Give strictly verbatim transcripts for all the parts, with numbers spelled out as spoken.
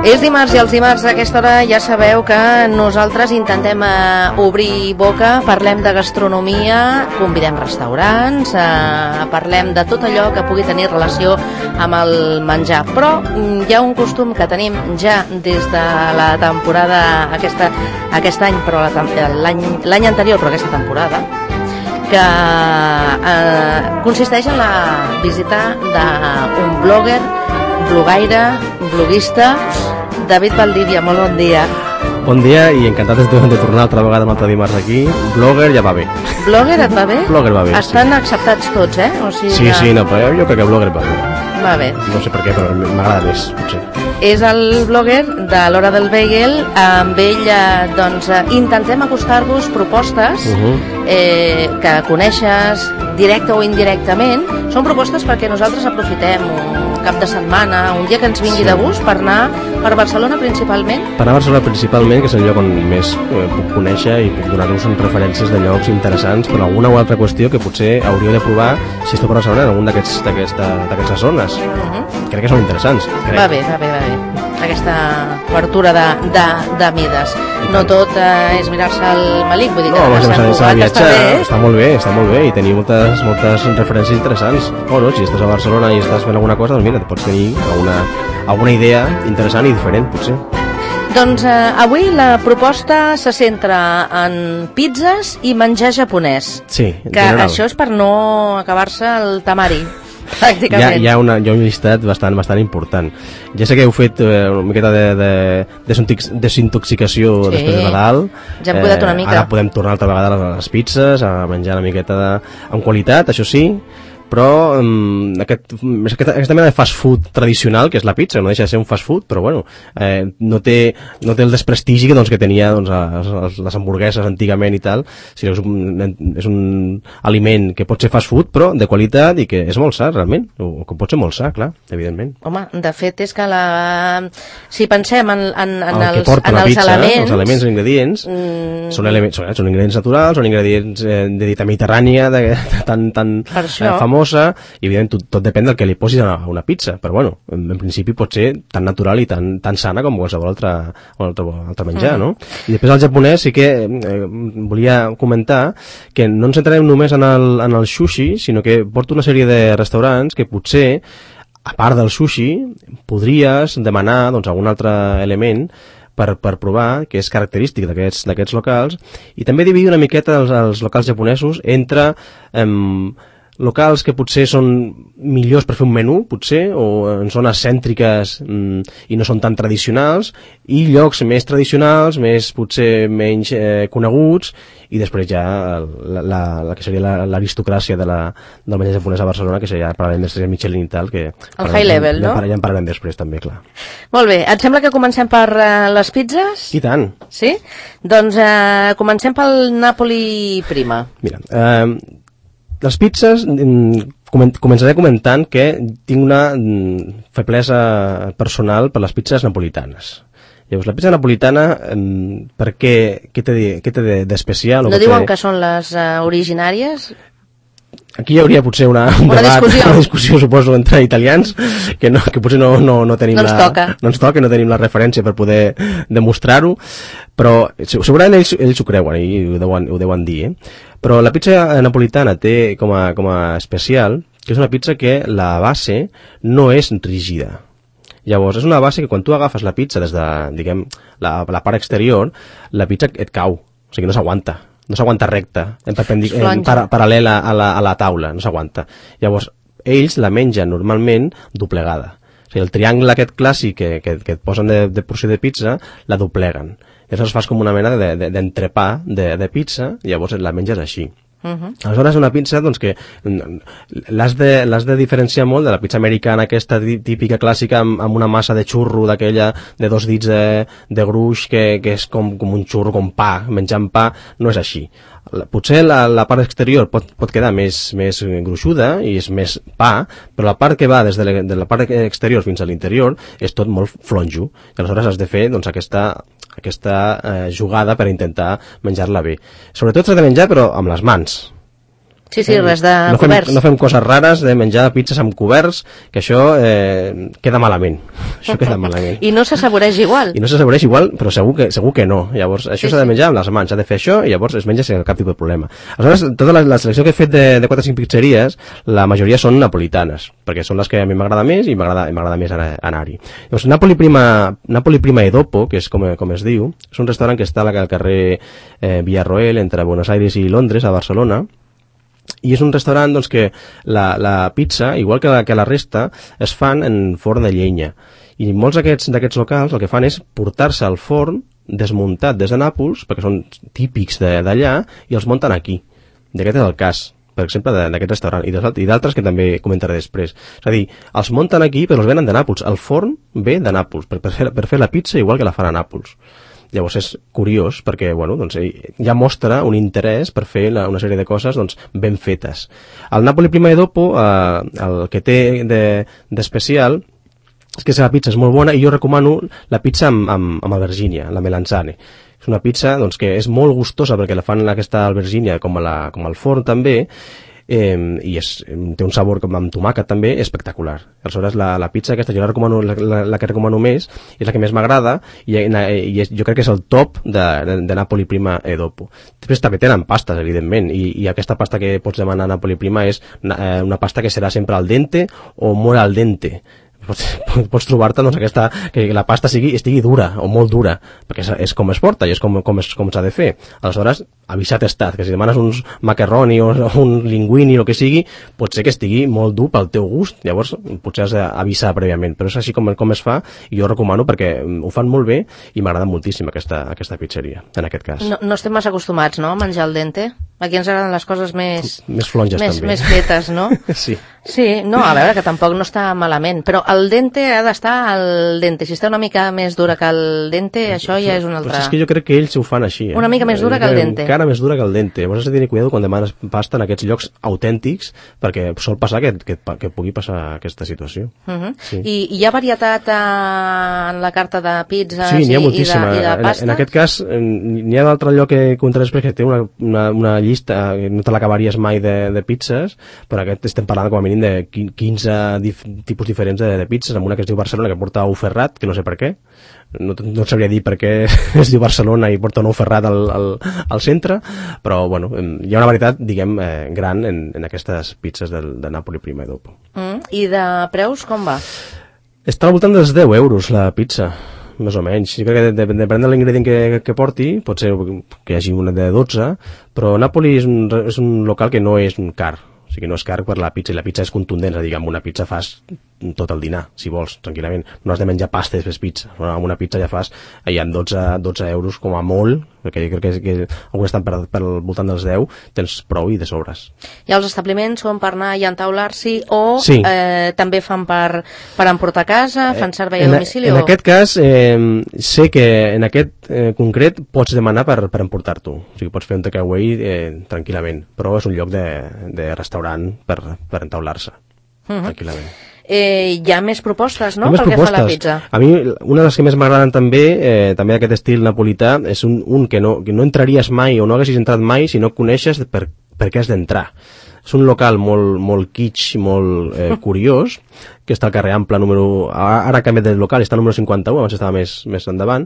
És dimarts i els dimarts a aquesta hora ja sabeu que nosaltres intentem eh, obrir boca, parlem de gastronomia, convidem restaurants, eh, parlem de tot allò que pugui tenir relació amb el menjar. Però mm, hi ha un costum que tenim ja des de la temporada aquesta, aquest any, però l'any anterior, però aquesta temporada, que eh, consisteix en la visita d'un blogger, blogaire, bloguista, David Valdivia. Molt bon dia. Bon dia i encantat de, de tornar altra vegada un altre dimarts aquí. Blogger ja va bé. Blogger et va bé? Blogger va bé, Estan sí. acceptats tots, eh? O sigui sí, que... sí, no, però jo crec que Blogger va bé. Va bé. No sé per què, però m'agrada més, potser. És el blogger de l'Hora del Bagel. Amb ell eh, doncs, eh, intentem acostar-vos propostes uh -huh. eh, que coneixes directe o indirectament. Són propostes perquè nosaltres aprofitem un cap de setmana, un dia que ens vingui sí. de gust per anar per Barcelona principalment. Per anar a Barcelona principalment, que és el lloc on més eh, puc conèixer i puc donar-vos referències de llocs interessants per alguna o altra qüestió que potser hauríeu de provar si esteu per Barcelona en algun d'aquestes zones. Uh -huh. Crec que són interessants. Crec. Va bé, va bé, va bé. Aquesta obertura de, de, de mides. No tot eh, és mirar-se el melic, vull dir que no, Sant Cugat viatjar, està bé. Està molt bé, està molt bé i tenir moltes, moltes referències interessants. O no, si estàs a Barcelona i estàs fent alguna cosa, doncs mira, pots tenir alguna, alguna idea interessant i diferent, potser. Doncs eh, avui la proposta se centra en pizzas i menjar japonès. Sí, en que general. Això és per no acabar-se el tamari. Hi ha, hi, ha una, hi ha un llistat bastant, bastant important. Ja sé que heu fet eh, una miqueta de, de, de desintoxicació sí, després de Nadal. Ja hem cuidat una mica. Ara podem tornar altra vegada a les pizzas, a menjar una miqueta de, amb qualitat, això sí, però um, aquest, aquesta, aquesta mena de fast food tradicional, que és la pizza, no deixa de ser un fast food, però bueno, eh, no, té, no té el desprestigi que, doncs, que tenia doncs, les, les hamburgueses antigament i tal. Si és, un, és un aliment que pot ser fast food, però de qualitat i que és molt sa, realment, o que pot ser molt sa, clar, evidentment. Home, de fet és que la... si pensem en, en, en el els, en els pizza, elements... Els elements, els ingredients, mm... són, elements són, són ingredients naturals, són ingredients eh, de dieta mediterrània, de, de, tan, tan eh, famosa, i evidentment tot, tot depèn del que li posis a una pizza, però bueno, en, en principi pot ser tan natural i tan, tan sana com qualsevol altre, altre, altre menjar, mm. no? I després al japonès sí que eh, volia comentar que no ens centrarem només en el, en el sushi, sinó que porto una sèrie de restaurants que potser, a part del sushi, podries demanar doncs, algun altre element per, per provar, que és característic d'aquests locals, i també dividir una miqueta els, els locals japonesos entre eh, locals que potser són millors per fer un menú, potser, o en zones cèntriques mm, i no són tan tradicionals, i llocs més tradicionals, més potser menys eh, coneguts, i després ja la, la, la que seria l'aristocràcia de la, del menjar japonès a Barcelona, que seria, parlarem després Michelin i tal, que... El high level, ja, no? Ja en parlarem després, també, clar. Molt bé, et sembla que comencem per uh, les pizzas? I tant. Sí? Doncs uh, comencem pel Napoli prima. Mira, eh... les pizzas, començaré comentant que tinc una feblesa personal per les pizzas napolitanes. Llavors, la pizza napolitana, per què, què té d'especial? No diuen que són les uh, originàries? Aquí hi hauria potser una, un una, debat, discussió. una discussió, suposo, entre italians, que, no, que potser no, no, no tenim no ens la... toca. No ens toca, no tenim la referència per poder demostrar-ho, però segurament ells, ells ho creuen i ho deuen, ho deuen dir, eh? Però la pizza napolitana té com a, com a especial que és una pizza que la base no és rígida. Llavors, és una base que quan tu agafes la pizza des de, diguem, la, la part exterior, la pizza et cau, o sigui, no s'aguanta. No s'aguanta recta, en, en para, paral·lela a la, a la taula, no s'aguanta. Llavors, ells la mengen normalment doblegada. O sigui, el triangle aquest clàssic que, que, que et posen de, de porció de pizza, la dobleguen. Llavors fas com una mena d'entrepà de, de, de, de pizza, i llavors la menges així. Uh-huh. Aleshores, una pizza doncs, que l'has de, l'has de diferenciar molt de la pizza americana, aquesta típica clàssica amb, amb una massa de xurro d'aquella de dos dits de, de gruix que, que és com, com un xurro, com pa, menjant pa, no és així. Potser la, la part exterior pot, pot quedar més, més gruixuda i és més pa, però la part que va des de la, de la part exterior fins a l'interior és tot molt flonjo. I aleshores has de fer doncs, aquesta, aquesta eh, jugada per intentar menjar-la bé. Sobretot s'ha de menjar però amb les mans. Sí, sí, res de no fem, coberts. No fem coses rares de menjar pizzas amb coberts, que això eh, queda malament. Això queda malament. I no s'assaboreix igual. I no s'assaboreix igual, però segur que, segur que no. Llavors, això s'ha sí, de menjar amb les mans, s'ha de fer això i llavors es menja sense cap tipus de problema. Aleshores, tota la, la selecció que he fet de, de quatre o cinc pizzeries, la majoria són napolitanes, perquè són les que a mi m'agrada més i m'agrada més anar-hi. Llavors, Napoli Prima, Napoli Prima e Dopo, que és com, com es diu, és un restaurant que està al carrer eh, Villarroel, entre Buenos Aires i Londres, a Barcelona, i és un restaurant doncs, que la, la pizza, igual que la, que la resta, es fan en forn de llenya. I molts d'aquests locals el que fan és portar-se al forn desmuntat des de Nàpols, perquè són típics d'allà, i els munten aquí. I aquest és el cas, per exemple, d'aquest restaurant, i d'altres que també comentaré després. És a dir, els munten aquí, però els venen de Nàpols. El forn ve de Nàpols, per, per, fer, per fer la pizza igual que la fan a Nàpols. Llavors és curiós perquè bueno, doncs, ja mostra un interès per fer la, una sèrie de coses doncs, ben fetes. El Napoli Prima e Dopo, eh, el que té d'especial de, és que la pizza és molt bona i jo recomano la pizza amb, amb, amb albergínia, la melanzane. És una pizza doncs, que és molt gustosa perquè la fan aquesta albergínia com, a la, com al forn també, Eh, i és, té un sabor com amb tomàquet també espectacular. Aleshores la, la pizza aquesta jo la, recomano, la, la, la que recomano més, és la que més m'agrada i, i és, jo crec que és el top de, de, de Napoli Prima e Dopo. Després també tenen pastes, evidentment, i, i aquesta pasta que pots demanar a Napoli Prima és una, una pasta que serà sempre al dente o molt al dente. Pots, pots trobar-te doncs, aquesta, que la pasta sigui, estigui dura o molt dura, perquè és, és com es porta i és com, com, com s'ha de fer. Aleshores, avisat estat, que si demanes uns macarroni o un linguini o el que sigui, pot ser que estigui molt dur pel teu gust, llavors potser has d'avisar prèviament, però és així com, com es fa i jo recomano perquè ho fan molt bé i m'agrada moltíssim aquesta, aquesta pizzeria, en aquest cas. No, no estem massa acostumats, no?, a menjar al dente. Aquí ens agraden les coses més... Més flonges, més, també. Més fetes, no? Sí. Sí, no, a veure, que tampoc no està malament, però el dente ha d'estar al dente. Si està una mica més dura que el dente, això ja és un altre... Però és que jo crec que ells ho fan així. Eh? Una mica més dura que el dente. Encara més dura que el dente. Llavors has de tenir cuidado quan demanes pasta en aquests llocs autèntics, perquè sol passar que, que, que pugui passar aquesta situació. Uh -huh. Sí. I hi ha varietat eh, en la carta de pizzas sí, i, ha i, de, i de pastes? En, en aquest cas, n'hi ha un altre lloc que contaré després que té una, una, una llista, no te l'acabaries mai de, de pizzas, però aquest estem parlant com a mínim de quinze dif, tipus diferents de, de pizzas, amb una que es diu Barcelona que porta ou ferrat, que no sé per què, no, no et sabria dir per què es diu Barcelona i porta un ou ferrat al, al, al centre, però bueno, hi ha una varietat, diguem, eh, gran en, en aquestes pizzas de, de Napoli Prima e Dopo. Mm, I de preus com va? Està al voltant dels deu euros la pizza, més o menys. Jo crec que depèn de l'ingredient que, que porti, pot ser que hi hagi una de dotze, però Napoli és un, és un local que no és un car, o sigui, no és car per la pizza, i la pizza és contundent, és a dir, amb una pizza fas tot el dinar, si vols, tranquil·lament. No has de menjar pasta i després pizza. Amb una pizza ja fas, hi ha dotze, dotze euros com a molt, perquè jo crec que, que alguns estan per, per al voltant dels deu, tens prou i de sobres. I els establiments són per anar i entaular-s'hi o sí. eh, també fan per, per emportar a casa, fan servei a en, domicili? En o... aquest cas, eh, sé que en aquest eh, concret pots demanar per, per emportar-t'ho. O sigui, pots fer un takeaway eh, tranquil·lament, però és un lloc de, de restaurant per, per entaular-se, uh-huh. tranquil·lament. Eh, hi ha més propostes, no?, més pel propostes. que fa a la pizza. A mi, una de les que més m'agraden també, eh, també d'aquest estil napolità, és un, un que, no, que no entraries mai o no haguessis entrat mai si no coneixes per, per què has d'entrar. És un local molt, molt kitsch, molt eh, curiós, que està al carrer Ample número... Ara ha canviat de local, està al número cinquanta-u, abans estava més, més endavant,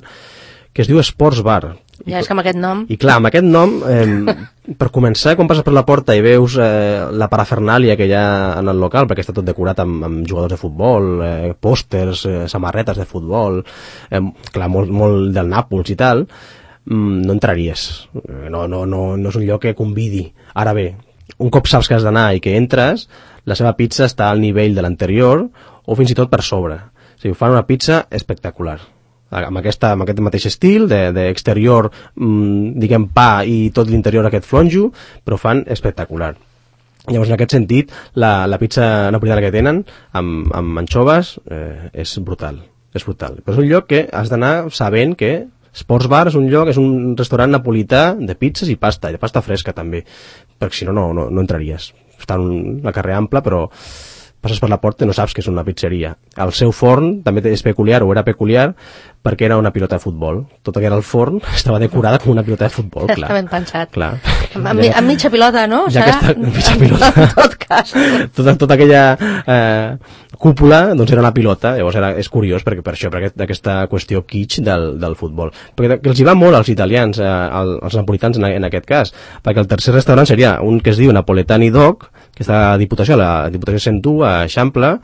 que es diu Sports Bar. Ja, és que amb aquest nom... I clar, amb aquest nom, eh, per començar, quan passes per la porta i veus eh, la parafernàlia que hi ha en el local, perquè està tot decorat amb, amb jugadors de futbol, eh, pòsters, eh, samarretes de futbol, eh, clar, molt, molt del Nàpols i tal, mm, no entraries. No, no, no, no és un lloc que convidi. Ara bé, un cop saps que has d'anar i que entres, la seva pizza està al nivell de l'anterior o fins i tot per sobre. O sigui, fan una pizza espectacular. Amb, aquesta, amb aquest mateix estil d'exterior, de, mmm, diguem, pa i tot l'interior aquest flonjo, però fan espectacular. Llavors, en aquest sentit, la, la pizza napolitana que tenen amb, amb anxoves eh, és brutal, és brutal. Però és un lloc que has d'anar sabent que Sports Bar és un lloc, és un restaurant napolità de pizzas i pasta, i de pasta fresca també, perquè si no, no, no, no entraries. Està en la carrer Ample, però passes per la porta i no saps que és una pizzeria. El seu forn també és peculiar, o era peculiar, perquè era una pilota de futbol. Tot el que era el forn estava decorada com una pilota de futbol, clar. Està ben pensat. Clar, Amb, amb mitja pilota, no? Ja que està, mitja pilota. En tot cas. Tota, tota aquella eh, cúpula, doncs era una pilota, llavors era, és curiós perquè, per això, per aquest, aquesta qüestió kitsch del, del futbol. Perquè que els hi va molt als italians, eh, als napolitans en, en aquest cas, perquè el tercer restaurant seria un que es diu Napoletani Dog, que està a Diputació, a la Diputació cent u, a Eixample,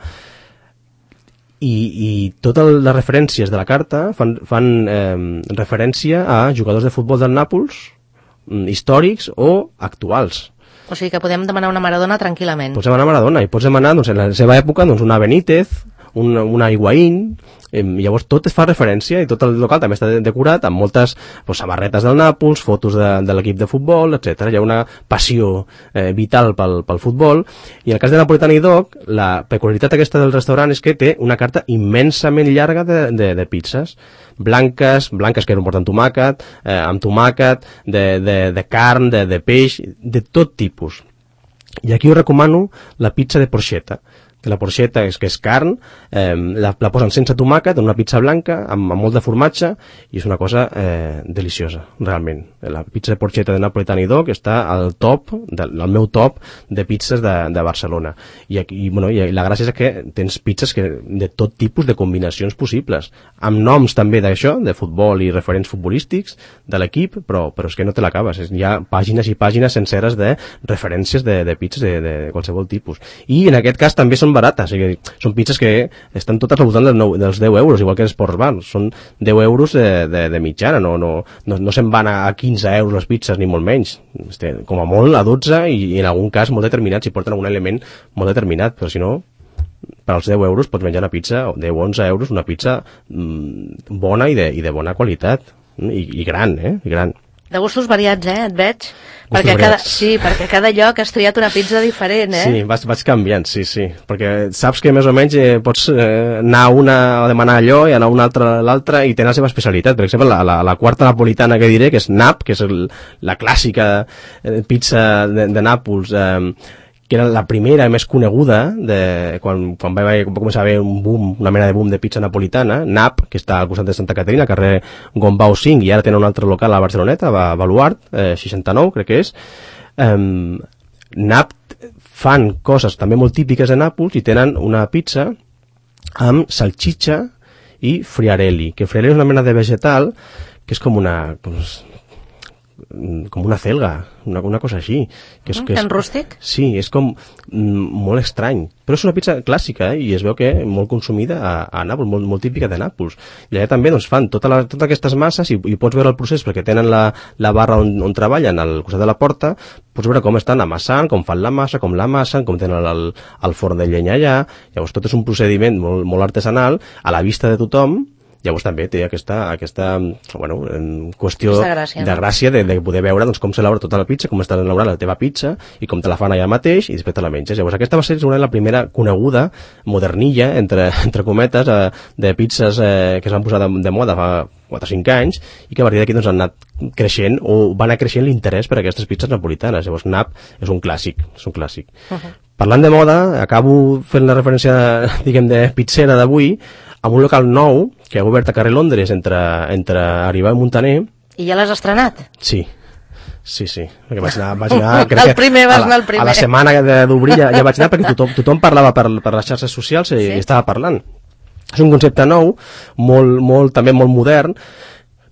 i, i totes les referències de la carta fan, fan eh, referència a jugadors de futbol del Nàpols, històrics o actuals. O sigui que podem demanar una Maradona tranquil·lament. Pots demanar Maradona i pots demanar, doncs, en la seva època, doncs, una Benítez, una, una Higuaín, eh, llavors tot es fa referència i tot el local també està decorat amb moltes doncs, samarretes del Nàpols, fotos de, de l'equip de futbol, etcètera. Hi ha una passió eh, vital pel, pel futbol, i en el cas de Napoletani Dog, la peculiaritat aquesta del restaurant és que té una carta immensament llarga de, de, de pizzas, blanques, blanques que no porten tomàquet, eh, amb tomàquet, de, de, de carn, de, de peix, de tot tipus. I aquí us recomano la pizza de porchetta, que la porchetta és que és carn, eh, la, la posen sense tomàquet en una pizza blanca amb, amb molt de formatge i és una cosa eh, deliciosa, realment. La pizza de porchetta de Napoletani Dog està al top, del, al meu top de pizzas de, de Barcelona. I, aquí, i, bueno, i la gràcia és que tens pizzas que, de tot tipus de combinacions possibles, amb noms també d'això, de futbol i referents futbolístics de l'equip, però, però és que no te l'acabes. Hi ha pàgines i pàgines senceres de referències de, de pizzas de, de qualsevol tipus. I en aquest cas també són barates, o sigui, són pizzas que estan totes al voltant dels, nou, dels deu euros, igual que els Sports Bar, són deu euros de, de, de mitjana, no, no, no, no se'n van a quinze euros les pizzas, ni molt menys, este, com a molt a dotze, i, i en algun cas molt determinat, si porten algun element molt determinat, però si no, per als deu euros pots menjar una pizza, deu a onze euros, una pizza mmm, bona i de, i de bona qualitat, i, i gran, eh, i gran. De gustos variats, eh, et veig? Perquè cada, sí, perquè cada lloc has triat una pizza diferent, eh? Sí, vaig, vaig canviant, sí, sí. Perquè saps que més o menys eh, pots eh, anar a una a demanar allò i anar a una altra a l'altra i tenen la seva especialitat. Per exemple, la, la, la quarta napolitana que diré, que és Nap, que és el, la clàssica eh, pizza de, de Nàpols, eh, que era la primera més coneguda de, quan, quan va, va començar a haver un boom, una mena de boom de pizza napolitana, Nap, que està al costat de Santa Caterina, carrer Gombau cinc, i ara tenen un altre local a Barceloneta, a Baluart, eh, seixanta-nou, crec que és. Um, Nap fan coses també molt típiques de Nàpols i tenen una pizza amb salchicha i friarelli, que friarelli és una mena de vegetal que és com una... Doncs, com una celga, una, una cosa així. Que és, mm, que és, tan rústic? Sí, és com mm, molt estrany. Però és una pizza clàssica, eh? I es veu que molt consumida a, a Nàpols, molt, molt típica de Nàpols. I allà també doncs, fan tota la, totes aquestes masses i, i pots veure el procés perquè tenen la, la barra on, on treballen al costat de la porta, pots veure com estan amassant, com fan la massa, com l'amassen, com tenen el, el forn de llenya allà. Llavors tot és un procediment molt, molt artesanal, a la vista de tothom. Llavors també té aquesta, aquesta bueno, qüestió gràcia, de no? gràcia de, de poder veure doncs, com s'elabora tota la pizza, com està elaborada la teva pizza i com te la fan allà mateix i després te la menges. Llavors aquesta va ser segurament la primera coneguda modernilla, entre, entre cometes, eh, de pizzas eh, que es van posar de, de moda fa quatre o cinc anys i que a partir d'aquí doncs, han anat creixent o va anar creixent l'interès per aquestes pizzas napolitanes. Llavors Nap és un clàssic, és un clàssic. Uh-huh. Parlant de moda, acabo fent la referència, diguem, de pizzera d'avui, amb un local nou que ha obert a carrer Londres entre, entre Aribau i Montaner. I ja l'has estrenat? Sí, sí, sí. Perquè vaig anar, vaig anar crec el primer, vas a la, anar el primer. A la setmana d'obrir ja, ja vaig anar perquè tothom, tothom parlava per, per les xarxes socials i, sí? i estava parlant. És un concepte nou, molt, molt, també molt modern.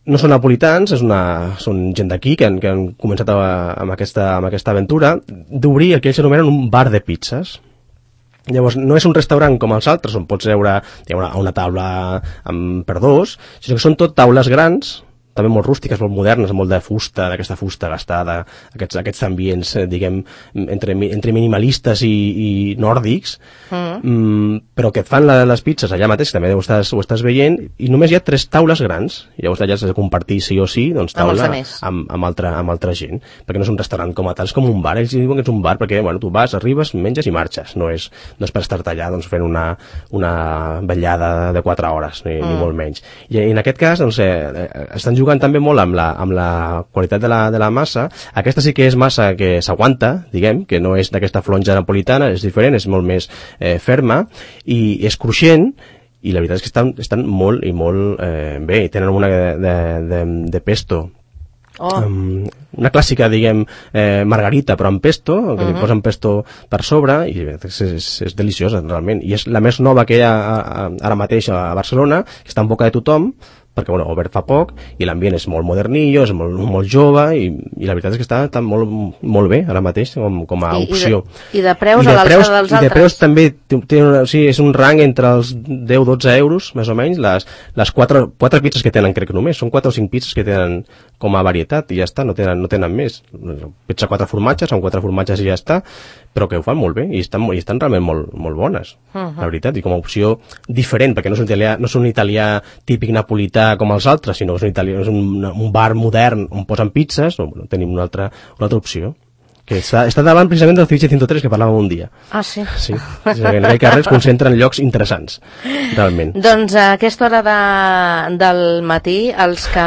No són napolitans, és una, són gent d'aquí que, han, que han començat a, amb, aquesta, amb aquesta aventura d'obrir el que ells anomenen un bar de pizzas. Llavors, no és un restaurant com els altres, on pots veure una, una taula amb, per dos, sinó que són tot taules grans, també molt rústiques, molt modernes, molt de fusta, d'aquesta fusta gastada, aquests, aquests ambients, eh, diguem, entre, entre minimalistes i, i nòrdics, mm. Mm, però que et fan la, les pizzas allà mateix, també ho estàs, ho estàs veient, i només hi ha tres taules grans, i llavors allà has de compartir sí o sí, doncs taula amb, amb, amb, altra, amb altra gent, perquè no és un restaurant com a tal, és com un bar, ells diuen que és un bar perquè, bueno, tu vas, arribes, menges i marxes, no és, no és per estar-te allà, doncs, fent una, una vetllada de quatre hores, ni, mm. ni molt menys. I, i en aquest cas, doncs, eh, estan jugant també molt amb la, amb la qualitat de la, de la massa. Aquesta sí que és massa que s'aguanta, diguem, que no és d'aquesta flonja napolitana, és diferent, és molt més eh, ferma i és cruixent, i la veritat és que estan, estan molt i molt eh, bé. Tenen una de, de, de, de pesto Oh. Um, una clàssica, diguem, eh, margarita, però amb pesto, que uh-huh. li posen pesto per sobre, i és, és, és deliciosa, realment. I és la més nova que hi ha ara mateix a Barcelona, que està en boca de tothom, perquè, bueno, obert fa poc, i l'ambient és molt modernillo, és molt, molt jove, i, i la veritat és que està, està molt, molt bé ara mateix com, com a I, opció. I de, i de preus I de a l'alçada dels altres? I de preus també té, té una, o sigui, és un rang entre els deu a dotze euros, més o menys, les, les quatre, quatre pizzas que tenen, crec que només, són quatre o cinc pizzas que tenen com a varietat, i ja està, no tenen, no tenen més. Pizza quatre formatges, són quatre formatges i ja està, però que ho fan molt bé, i estan, i estan realment molt, molt bones, uh-huh. la veritat, i com a opció diferent, perquè no és un italià, no és un italià típic napolità com els altres, sinó que és un, italià, és un, un bar modern on posen pizzas, no, bueno, tenim una altra, una altra opció, que està, està davant precisament del Ceviche cent tres que parlàvem un dia. Ah, sí? Sí, en aquell carrer es concentren en llocs interessants, realment. Doncs a aquesta hora de, del matí, els que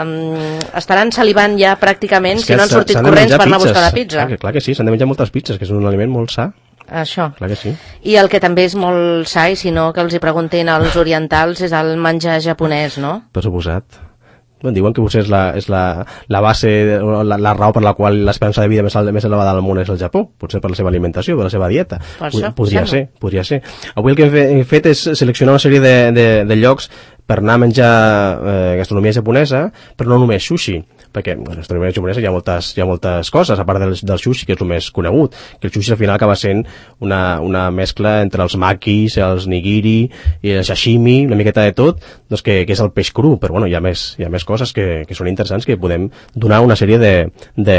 um, estaran salivant ja pràcticament, si no han sortit corrents per anar a buscar la pizza. Clar, clar que sí, s'han de menjar moltes pizzas, que és un aliment molt sa. Això. Clar que sí. I el que també és molt sa, i si no que els hi preguntin als orientals, és el menjar japonès, no? Per suposat. Bueno, diuen que potser és la, és la, la base, la, la raó per la qual l'esperança de vida més, més elevada del món és el Japó, potser per la seva alimentació, per la seva dieta. Per això, podria sembla. ser, podria ser. Avui el que he fet és seleccionar una sèrie de, de, de llocs per anar a menjar eh, gastronomia japonesa, però no només sushi, perquè en la gastronomia japonesa hi ha moltes, hi ha moltes coses, a part del, del sushi, que és el més conegut, que el sushi al final acaba sent una, una mescla entre els makis, els nigiri i el sashimi, una miqueta de tot, doncs que, que és el peix cru, però bueno, hi ha més, hi ha més coses que, que són interessants, que podem donar una sèrie de, de,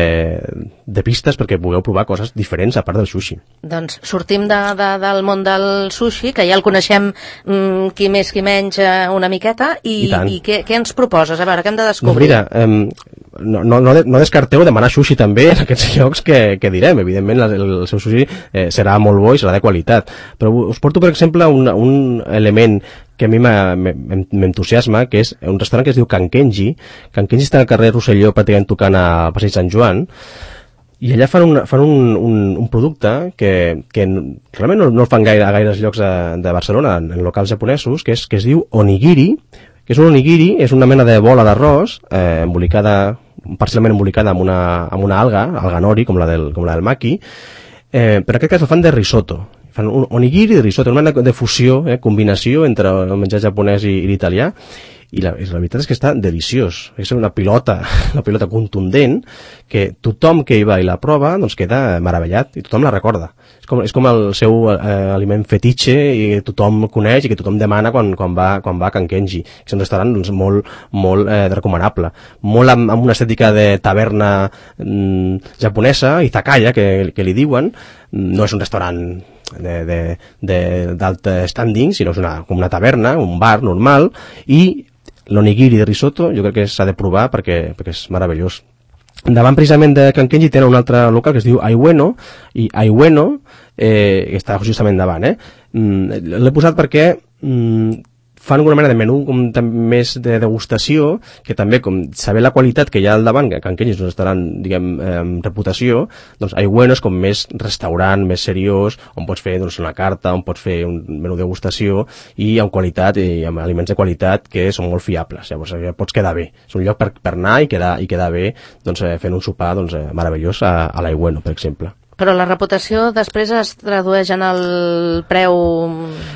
de pistes perquè pugueu provar coses diferents a part del sushi. Doncs sortim de, de, del món del sushi, que ja el coneixem mm, qui més qui menys eh, una miqueta, i, I, i què, què ens proposes? A veure, què hem de descobrir? No, mira, eh, no, no, no descarteu demanar sushi també en aquests llocs que, que direm. Evidentment el, el seu sushi eh, serà molt bo i serà de qualitat, però us porto per exemple un, un element que a mi m'entusiasma, que és un restaurant que es diu Can Kenji. Can Kenji està al carrer Rosselló, pràcticament tocant al passeig Sant Joan, i allà fan un, fan un, un, un producte que, que realment no, no el fan gaire a gaires llocs de, de Barcelona, en, en locals japonesos, que, és, que es diu onigiri, que és un onigiri, és una mena de bola d'arròs, eh, embolicada, parcialment embolicada amb una, amb una alga, alga nori, com la del, com la del maki, eh, però en aquest cas el fan de risotto. Fan un onigiri de risotto, una mena de fusió, eh, combinació entre el menjar japonès i, i l'italià, i la, la veritat és que està deliciós. És una pilota, una pilota contundent, que tothom que hi va i la prova doncs queda meravellat, i tothom la recorda. És com, és com el seu eh, aliment fetitxe, i tothom coneix i que tothom demana quan, quan, va, quan va a Can Kenji. És un restaurant doncs, molt, molt eh, recomanable. Molt amb, amb una estètica de taverna mm, japonesa, izakaya, que, que li diuen. No és un restaurant d'alt standing, sinó és una, com una taverna, un bar normal, i l'onigiri de risotto jo crec que s'ha de provar perquè, perquè és meravellós. Davant precisament de Can Kenji tenen un altre local que es diu Aiueno, i Aiueno eh, que està justament davant, eh? Mm, l'he posat perquè mm, fan una mena de menú com més de degustació, que també, com saber la qualitat que hi ha al davant, que Can Kenji és un restaurant, diguem, eh, amb reputació, doncs Aiueno és com més restaurant, més seriós, on pots fer doncs, una carta, on pots fer un menú de degustació, i amb qualitat, i amb aliments de qualitat que són molt fiables. Llavors ja pots quedar bé. És un lloc per, per anar i quedar, i quedar bé doncs, eh, fent un sopar doncs, eh, meravellós a, a l'Aiueno, per exemple. Però la reputació després es tradueix en el preu...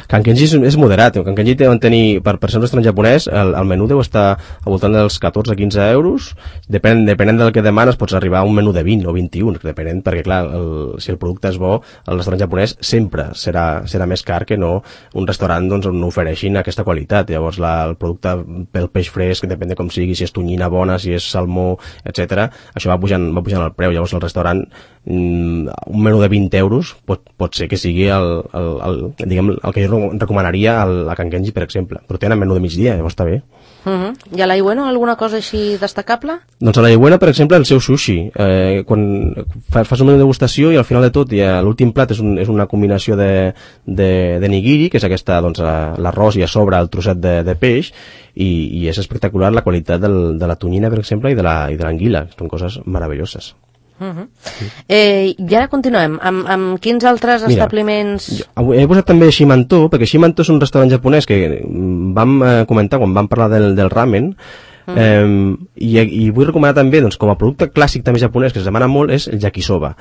Can Kenji és, és moderat. Can Kenji deuen tenir, per, per ser un restaurant japonès, el, el menú deu estar al voltant dels catorze a quinze euros. Depèn, depenent del que demanes, pots arribar a un menú de vint o vint-i-un, depenent, perquè clar, el, si el producte és bo, el restaurant japonès sempre serà, serà més car que no un restaurant doncs, on ofereixin aquesta qualitat. Llavors la, el producte pel peix fresc, depèn de com sigui, si és tonyina bona, si és salmó, etcètera, això va pujant, va pujant el preu. Llavors el restaurant mm, un menú de vint euros pot, pot ser que sigui el, el, el, diguem, el que jo recomanaria al, a Can Kenji, per exemple, però tenen menú de migdia, llavors està bé. Uh -huh. I a l'Aiueno alguna cosa així destacable? Doncs a l'Aiueno, per exemple, el seu sushi. Eh, quan fas un menú de degustació i al final de tot l'últim plat és, un, és una combinació de, de, de nigiri, que és aquesta, doncs, l'arròs i a sobre el trosset de, de peix, i, i és espectacular la qualitat del, de la tonyina, per exemple, i de l'anguila. Són coses meravelloses. Uh -huh. eh, I ara continuem amb, amb quins altres Mira, establiments... Jo, he posat també Shimanto, perquè Shimanto és un restaurant japonès que vam eh, comentar quan vam parlar del, del ramen. Mm. Eh, i, I vull recomanar també, doncs, com a producte clàssic també japonès que es demana molt, és el yakisoba.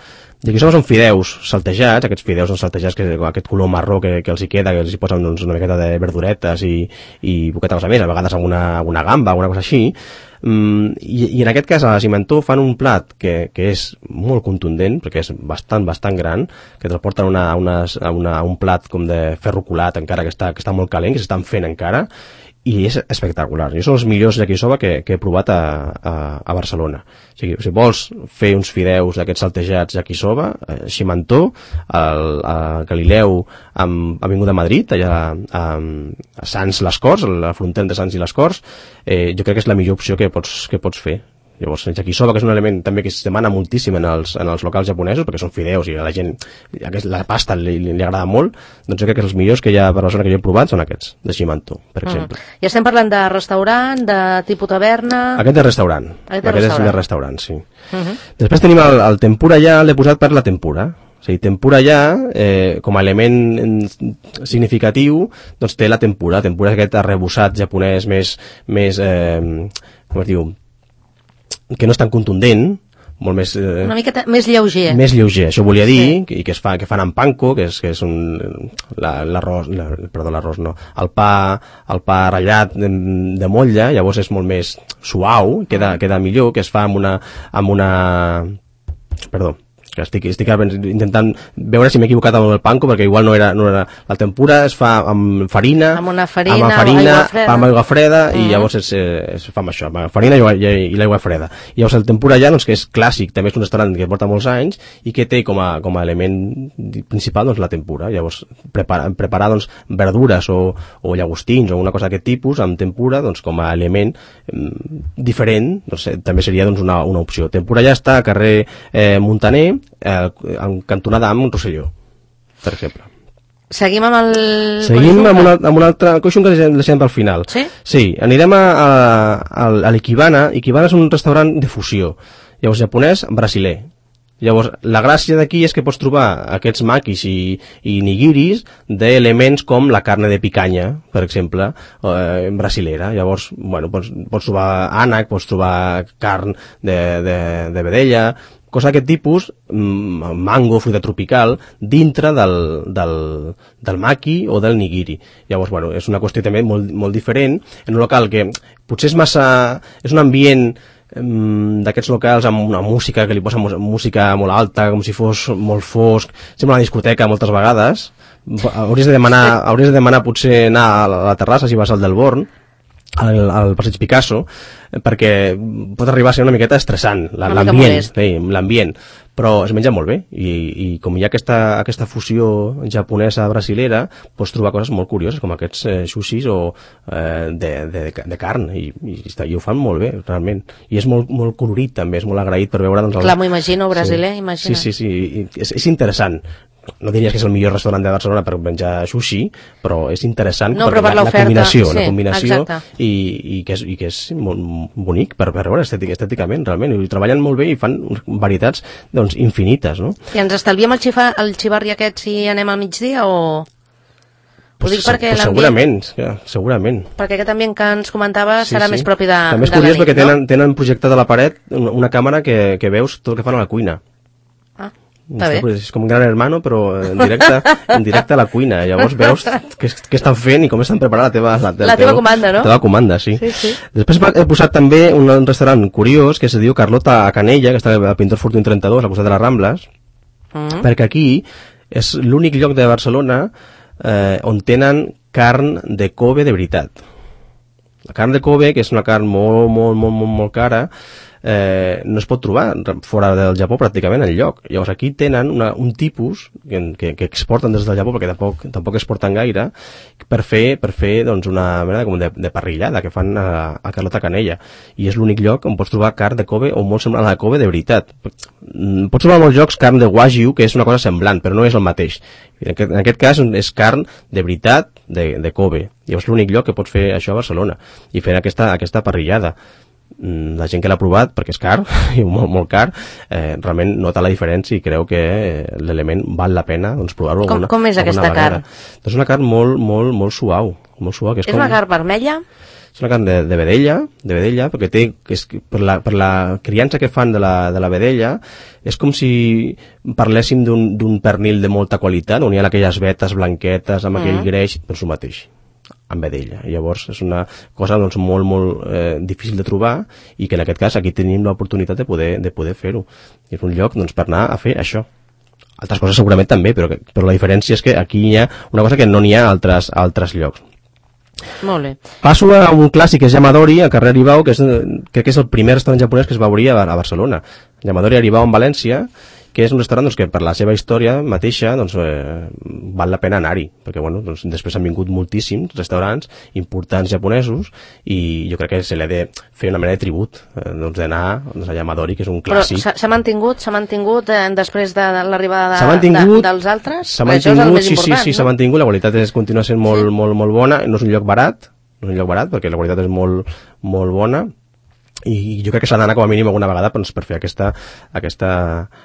Yakisoba són fideus saltejats, aquests fideus són saltejats, que, aquest color marró que, que els hi queda, que els hi posen doncs, una miqueta de verduretes i, i boqueta cosa més, a vegades amb una, una gamba, alguna cosa així. Mm, i, i en aquest cas a la Cimentó fan un plat que, que és molt contundent, perquè és bastant, bastant gran, que te'l porten una, unes, a, una, a un plat com de ferro colat encara que està, que està molt calent, que s'estan fent encara, i és espectacular. Jo són els millors yakisoba que, que he provat a, a, a Barcelona. O sigui, si vols fer uns fideus d'aquests saltejats yakisoba, eh, Cimentó, al, a Galileu, amb Avinguda Madrid, allà a, a Sants les Corts, a la frontera de Sants i les Corts, eh, jo crec que és la millor opció que pots, que pots fer. Llavors, el yakisoba, que és un element també que es demana moltíssim en els, en els locals japonesos, perquè són fideus i a la gent la pasta li, li, li agrada molt, doncs jo crec que els millors que hi ha per la zona que jo he provat són aquests, de Cimentó, per exemple. Mm. I estem parlant de restaurant, de tipus taverna... Aquest és restaurant. Aquest, Aquest restaurant. és de restaurant, sí. Uh -huh. Després tenim el, el tempura ja, l'he posat per la tempura. O sigui, tempura ja, eh, com a element significatiu, doncs té la tempura. La tempura és aquest arrebossat japonès més, més eh, com es diu, que no és tan contundent, molt més... Eh, una miqueta més lleuger. Més lleuger, això volia dir, sí. i que es fa, que fan amb panko, que és, que és un... l'arròs, la, perdó, l'arròs no, el pa, el pa ratllat de, de motlla, llavors és molt més suau, queda, queda millor, que es fa amb una... amb una... perdó, que estic, estic intentant veure si m'he equivocat amb el panko, perquè igual no era, no era... La tempura es fa amb farina, amb una farina, amb farina aigua freda, amb aigua freda mm -hmm. i llavors es, es fa amb això, amb farina i, i, i l'aigua freda. I llavors el tempura ja, doncs, que és clàssic, també és un restaurant que porta molts anys i que té com a, com a element principal, doncs, la tempura. Llavors, preparar, preparar doncs, verdures o, o llagostins o una cosa d'aquest tipus amb tempura, doncs, com a element mm, diferent, doncs, també seria doncs, una, una opció. Tempura ja està a carrer eh, Montaner, Eh, en cantonada amb Rosselló, per exemple. Seguim amb el... Seguim amb, una, amb un altre coixon que deixem pel final. Sí? Sí, anirem a, a, a, a l'Ikebana. Ikebana és un restaurant de fusió. Llavors, japonès, brasiler. Llavors, la gràcia d'aquí és que pots trobar aquests makis i, i nigiris d'elements com la carne de picanya, per exemple, eh, brasilera. Llavors, bueno, pots, pots trobar ànec, pots trobar carn de, de, de vedella, cosa d'aquest tipus, mango, fruita tropical, dintre del, del, del maki o del nigiri. Llavors, bueno, és una qüestió també molt, molt diferent, en un local que potser és massa... és un ambient d'aquests locals amb una música que li posa música molt alta, com si fos molt fosc, sembla una discoteca moltes vegades. Hauries de demanar, hauries de demanar potser anar a la terrassa si vas al del Born, al, al Passeig Picasso, perquè pot arribar a ser una miqueta estressant l'ambient, l'ambient, però es menja molt bé i, i com hi ha aquesta, aquesta fusió japonesa brasilera, pots trobar coses molt curioses com aquests eh, sushis o eh, de, de, de carn i, i, i ho fan molt bé, realment, i és molt, molt colorit també, és molt agraït per veure doncs, el... Clar, m'ho imagino, brasiler, sí. imagina. Sí, sí, sí, és, és interessant. No diries que és el millor restaurant de Barcelona per menjar sushi, però és interessant no, per la, la combinació, sí, la combinació i, i, que és, i que és molt bonic per, per veure estètic, estèticament, realment, i treballen molt bé i fan varietats doncs, infinites, no? I ens estalviem el, xifa, el xivarri aquest si anem al migdia o...? Pues, ho dic perquè pues segurament, ja, segurament. Perquè aquest ambient que ens comentava sí, serà sí. més propi de, també és de curiós la nit, perquè no? tenen, tenen projectada a la paret una, una càmera que, que veus tot el que fan a la cuina. Ah. Està bé. És com un gran hermano, però en directe, en directe a la cuina. Llavors veus què, què estan fent i com estan preparant la teva, la, la teva comanda, no? La teva comanda, sí. sí, sí. Després he posat també un, un restaurant curiós que se diu Carlota a Canella, que està al Pintor Fortuny trenta-dos, al costat de les Rambles, mm. perquè aquí és l'únic lloc de Barcelona eh, on tenen carn de Kobe de veritat. La carn de Kobe, que és una carn molt, molt, molt, molt, molt cara, Eh, no es pot trobar fora del Japó pràcticament enlloc. Llavors aquí tenen una, un tipus que, que, que exporten des del Japó perquè tampoc, tampoc exporten gaire per fer, per fer doncs, una mena de, de, de parrillada que fan a, a Carlota Canella, i és l'únic lloc on pots trobar carn de Kobe o molt semblant a la Kobe de veritat. Pots trobar molts llocs carn de Wagyu, que és una cosa semblant però no és el mateix. En aquest, en aquest cas és carn de veritat de, de Kobe. Llavors l'únic lloc que pots fer això a Barcelona i fer aquesta, aquesta parrillada. La gent que l'ha provat, perquè és car i molt, molt car, eh, realment nota la diferència i creu que eh, l'element val la pena doncs, provar-ho alguna, com, com és aquesta carn? Doncs una carn molt, molt, molt suau, molt suau que és, és com... una carn vermella? és una carn de, de vedella, de vedella, perquè té, és, per, la, per la criança que fan de la, de la vedella, és com si parléssim d'un pernil de molta qualitat, on hi ha aquelles vetes blanquetes, amb mm. aquell greix, doncs el mateix, amb vedella. I llavors és una cosa doncs, molt, molt eh, difícil de trobar, i que en aquest cas aquí tenim l'oportunitat de poder, de poder fer-ho. És un lloc doncs, per anar a fer això. Altres coses segurament també, però, que, però la diferència és que aquí hi ha una cosa que no n'hi ha a altres, a altres llocs. Molt bé. Passo a un clàssic que és Yamadori, al carrer Aribau, que és, crec que és el primer restaurant japonès que es va obrir a, a Barcelona. Yamadori Aribau en València, que és un restaurant doncs, que per la seva història mateixa doncs, eh, val la pena anar-hi, perquè bueno, doncs, després han vingut moltíssims restaurants importants japonesos i jo crec que se li ha de fer una mena de tribut eh, doncs, d'anar doncs, a Yamadori, que és un clàssic. Però s'ha mantingut, s'ha mantingut eh, després de l'arribada de, de, dels altres? S'ha mantingut, sí, sí, sí, s'ha no? mantingut, la qualitat és, continua sent molt, sí. molt, molt bona, no és un lloc barat, no és un lloc barat perquè la qualitat és molt, molt bona, i jo crec que s'ha d'anar com a mínim alguna vegada doncs, per fer aquesta, aquesta,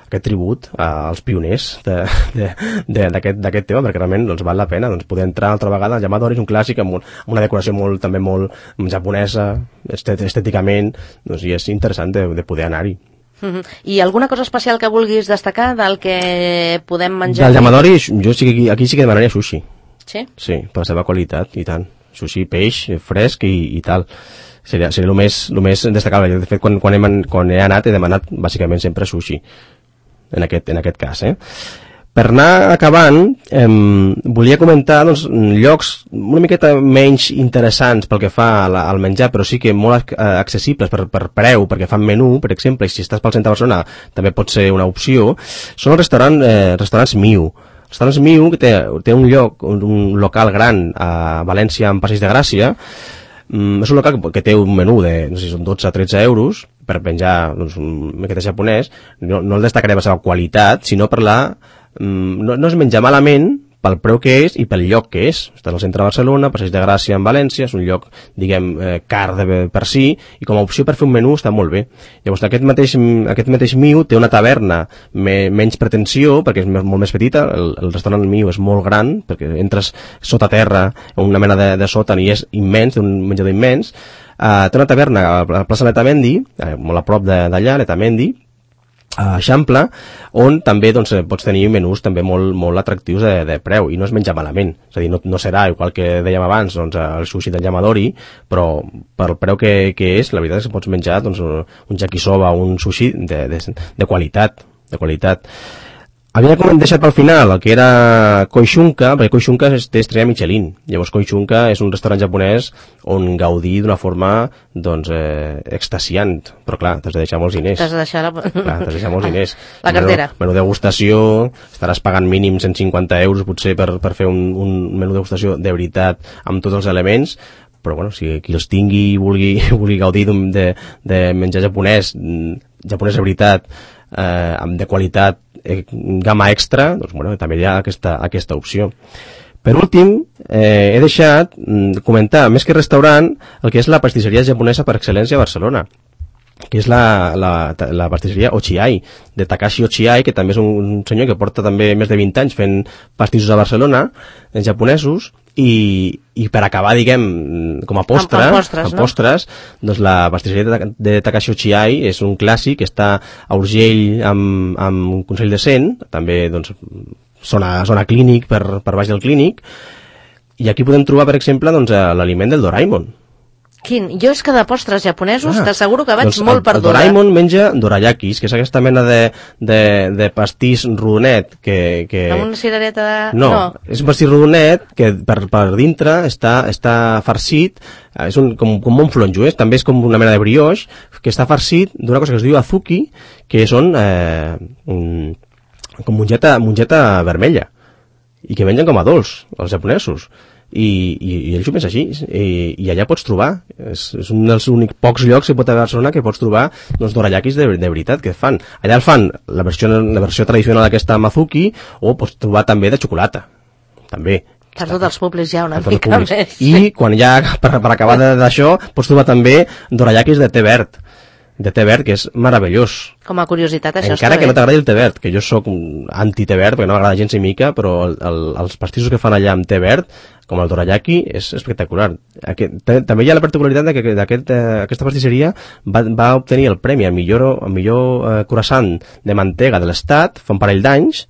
aquest tribut als pioners d'aquest tema, perquè realment doncs, val la pena doncs, poder entrar altra vegada. El Yamadori és un clàssic amb, un, amb una decoració molt, també molt japonesa, estèticament, doncs, i és interessant de, de poder anar-hi. Uh-huh. I alguna cosa especial que vulguis destacar del que podem menjar? Del Yamadori, jo sí que aquí, aquí sí que demanaria sushi. Sí? Sí, per la seva qualitat, i tant. Sushi, peix, fresc i, i tal. Seria, seria el més, el més destacable. De fet, quan, quan, he, quan he anat, he demanat bàsicament sempre sushi, en aquest, en aquest cas. Eh? Per anar acabant, eh, volia comentar doncs, llocs una miqueta menys interessants pel que fa al menjar, però sí que molt accessibles per, per preu, perquè fan menú, per exemple, i si estàs pel centre de Barcelona també pot ser una opció, són els restaurant, eh, restaurants Miu. Els restaurants Miu, que té, té un lloc, un, un local gran a València, en Passeig de Gràcia. Mm, és un local que, que té un menú de, no sé si són dotze a tretze euros per menjar doncs, un miqueta japonès. No, no el destacaré per la seva qualitat, sinó per la... Mm, no, no es menja malament pel preu que és i pel lloc que és. Està al centre de Barcelona, Passeig de Gràcia en València, és un lloc, diguem, eh, car de, per si, i com a opció per fer un menú està molt bé. Llavors, aquest mateix, aquest mateix Miu té una taverna me, menys pretensió, perquè és molt més petita, el, el restaurant Miu és molt gran, perquè entres sota terra, una mena de, de sòtan, i és immens, un menjador immens. Uh, té una taverna a la plaça Letamendi, eh, molt a prop d'allà, Letamendi, a Eixample, on també doncs, pots tenir menús també molt, molt atractius de, de preu, i no es menja malament. És a dir, no, no serà igual que dèiem abans doncs, el sushi del Yamadori, però per el preu que, que és, la veritat és que pots menjar doncs, un yakisoba, un sushi de, de, de qualitat, de qualitat. Havia deixat pel final el que era Koishunka, perquè Koishunka té estrella Michelin. Llavors Koishunka és un restaurant japonès on gaudir d'una forma doncs, eh, extasiant. Però clar, t'has de deixar molts diners. T'has de deixar la... Clar, t'has de deixar molts diners. La cartera. Menú, menú degustació, estaràs pagant mínim cent cinquanta euros potser per, per fer un, un menú degustació de veritat amb tots els elements, però bueno, si qui els tingui i vulgui, vulgui gaudir de, de menjar japonès, japonès de veritat, eh, de qualitat, eh, gamma extra, doncs bueno, també hi ha aquesta, aquesta opció. Per últim, eh, he deixat mm, comentar, més que restaurant, el que és la pastisseria japonesa per excel·lència a Barcelona, que és la, la, la pastisseria Ochiai, de Takashi Ochiai, que també és un senyor que porta també més de vint anys fent pastissos a Barcelona, en japonesos, i, i per acabar, diguem, com a postre, amb, amb postres, amb no? postres, doncs la pastisseria de, de Takashi Ochiai és un clàssic, està a Urgell amb, amb Consell de Cent, també doncs, zona, zona clínic, per, per baix del clínic, i aquí podem trobar, per exemple, doncs, l'aliment del Doraemon. Quin? Jo és que de postres japonesos ah, t'asseguro que vaig doncs molt perduda. El Doraemon menja dorayakis, que és aquesta mena de, de, de pastís rodonet que, que... Amb una cirereta de... No, no, és un pastís rodonet que per, per dintre està, està farcit, és un, com, com un flonjo, eh? També és com una mena de brioix, que està farcit d'una cosa que es diu azuki, que són eh, un, com mongeta, mongeta vermella, i que mengen com a dolç, els japonesos. I, i, i ells ho pensen així, i, i allà pots trobar, és, és un dels únics pocs llocs que pot haver a Barcelona que pots trobar doncs, dorayakis de, de veritat que fan. Allà el fan la versió, la versió tradicional d'aquesta Mazuki, o pots trobar també de xocolata, també. Per tots els públics ja una mica més. I quan ja, per, per acabar d'això, pots trobar també dorayakis de té verd, de té verd, que és meravellós. Com a curiositat, això Encara està que bé. no t'agradi el té verd, que jo sóc anti-té verd, perquè no m'agrada gens ni mica, però el, el, els pastissos que fan allà amb té verd, com el dorayaki, és espectacular. Aquest, també hi ha la particularitat de que aquest, eh, aquesta pastisseria va, va obtenir el premi al millor, al millor eh, croissant de mantega de l'estat fa un parell d'anys.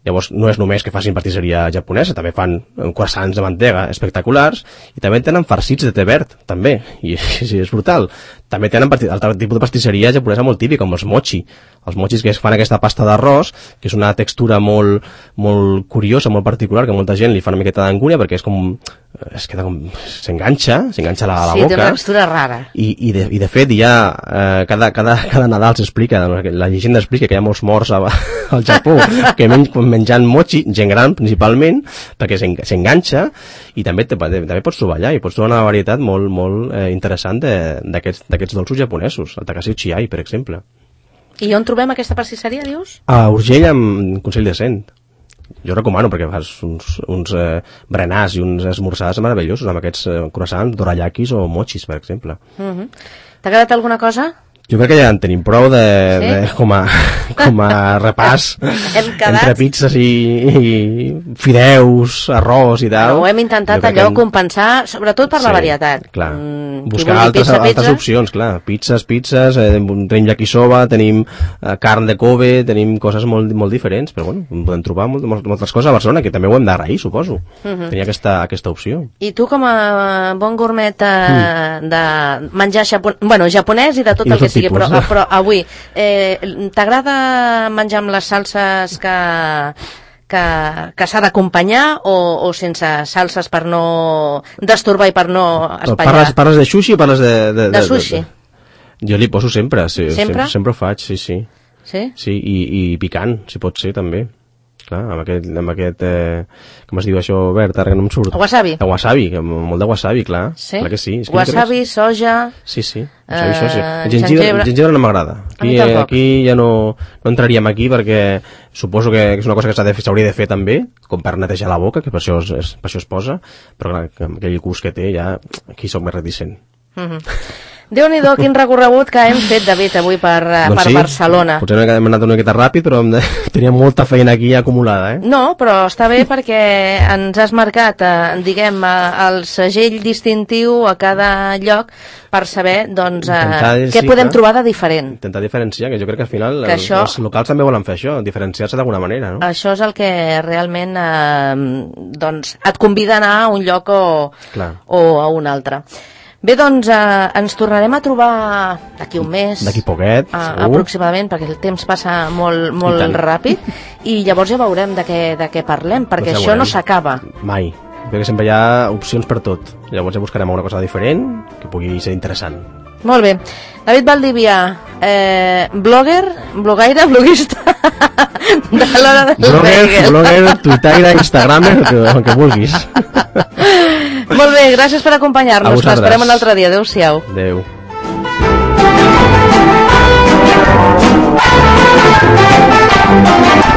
Llavors no és només que facin pastisseria japonesa, també fan croissants de mantega espectaculars i també tenen farcits de té verd, també, i sí, és brutal. També tenen altre tipus de pastisseria japonesa molt típica, com els mochi. Els mochis que es fan aquesta pasta d'arròs, que és una textura molt, molt curiosa, molt particular, que molta gent li fa una miqueta d'angúnia perquè és com... es queda com... s'enganxa, s'enganxa a la, a la sí, boca. Sí, té una textura rara. I, i, de, i de fet hi ha... Eh, cada, cada, cada Nadal s'explica, la llegenda explica que hi ha molts morts a, al Japó que men, menjant mochi, gent gran principalment, perquè s'enganxa i també, te, també pots trobar allà i pots trobar una varietat molt, molt eh, interessant d'aquests dolços japonesos, el Takashi Chiai, per exemple. I on trobem aquesta pastisseria, dius? A Urgell, amb Consell de Cent. Jo recomano, perquè fas uns, uns eh, berenars i uns esmorzars meravellosos amb aquests eh, croissants, dorayakis o mochis, per exemple. Uh -huh. T'ha quedat alguna cosa? Jo crec que ja en tenim prou de, sí? de, com, a, com a repàs entre pizzas i, i fideus, arròs i tal. Bueno, ho hem intentat allò hem... compensar, sobretot per sí, la varietat. Clar. Mm, buscar altres, pizza, altres pizza? opcions, clar. Pizzas, pizzas, eh, tenim yakisoba, tenim eh, carn de Kobe, tenim coses molt, molt diferents, però bueno, podem trobar molt, molt, moltes coses a Barcelona, que també ho hem d'agrair, suposo. Uh -huh. Tenir aquesta, aquesta opció. I tu, com a bon gourmet eh, mm. de menjar japon... bueno, japonès i de tot I el que sigui, però, però avui, eh, t'agrada menjar amb les salses que... que, que s'ha d'acompanyar o, o sense salses per no destorbar i per no espatllar? Parles, parles de sushi o parles de... De, de, de sushi. De, de... Jo li poso sempre, sí, sempre? Sempre, sempre ho faig, sí, sí. Sí? Sí, i, i picant, si pot ser, també. Clar, amb aquest, amb aquest eh, com es diu això, verd, ara que no em surt. Wasabi. El wasabi, molt de wasabi, clar. Sí? Clar que sí. És que wasabi, no soja... Sí, sí, wasabi, soja. Uh, el gengibre, el gengibre no m'agrada. Aquí, eh, aquí ja no, no entraríem aquí perquè suposo que és una cosa que s'ha de fer, s'hauria de fer també, com per netejar la boca, que per això es, per això es posa, però clar, amb aquell gust que té ja aquí soc més reticent. Uh -huh. Déu-n'hi-do, quin recorregut que hem fet, David, avui per, doncs per sí, Barcelona. Potser hem anat una miqueta ràpid, però teníem molta feina aquí acumulada, eh? No, però està bé perquè ens has marcat, eh, diguem, eh, el segell distintiu a cada lloc per saber, doncs, eh, què sí, podem clar, trobar de diferent. Intentar diferenciar, que jo crec que al final que els, això, els locals també volen fer això, diferenciar-se d'alguna manera, no? Això és el que realment eh, doncs, et convida a anar a un lloc o, o a un altre. Bé, doncs eh, ens tornarem a trobar d'aquí un mes. D'aquí poquet, eh, aproximadament, perquè el temps passa molt, molt ràpid, i llavors ja veurem de què, de què parlem, perquè doncs ja això no s'acaba. Mai, perquè sempre hi ha opcions per tot. Llavors ja buscarem una cosa diferent que pugui ser interessant. Molt bé. David Valdivia, eh, blogger, blogaire, bloguista de l'hora del blogger, bagel. Blogger, tuitaire, instagramer, el que vulguis. Molt bé, gràcies per acompanyar-nos. T'esperem un altre dia. Adéu-siau. Adéu. Adéu.